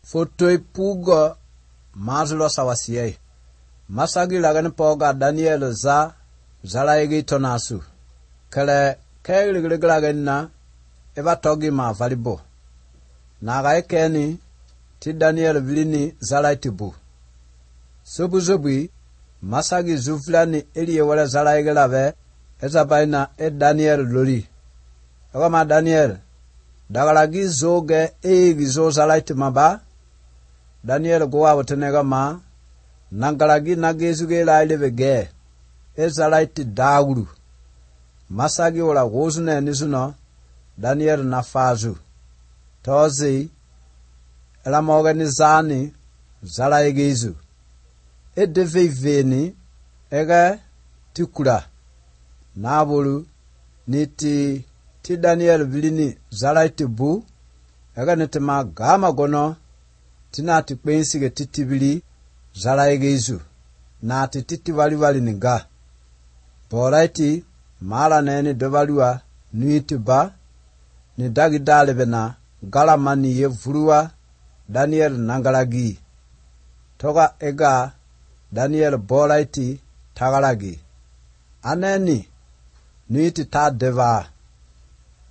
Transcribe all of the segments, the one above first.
Fotoi puga mazlo sawasiye. Masagi lagan poga Daniel za zalaigi tonasu. Kale kegliglagen na eva togi ma valibo. Naga ekeni ti Daniel vilini zalaitibu. Subu masagi zuflani eliye wala zalaigi lave ezabaina Daniel lori. Agama Daniel dagalagi zoge gizo zalaiti maba. Daniel gowa watenega ma nangalagi nagezuge laileve ge ezalaiti dauru. Masagi wala wozune nizuno Daniel nafazu. Tozi elamoganizani zalaigizu. Edeveveni ega tikula. Nabulu niti ti Daniel vilini zalaiti bu ega nitima gama gono tina tikpensige titibili zalaigizu. Na titi wali niga. Boraiti mala neni dovalua nuitiba ni dagi dalebena galamani ye vurua Daniel nangalagi. Toga ega Daniel boraiti tagalagi. Aneni nuiti ta deva.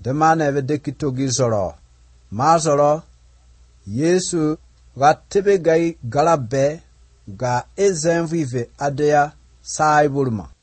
Demane vedeki togi zoro. Ma zoro Yesu ga tebe gai galabe ga ezenvive adea saibulma.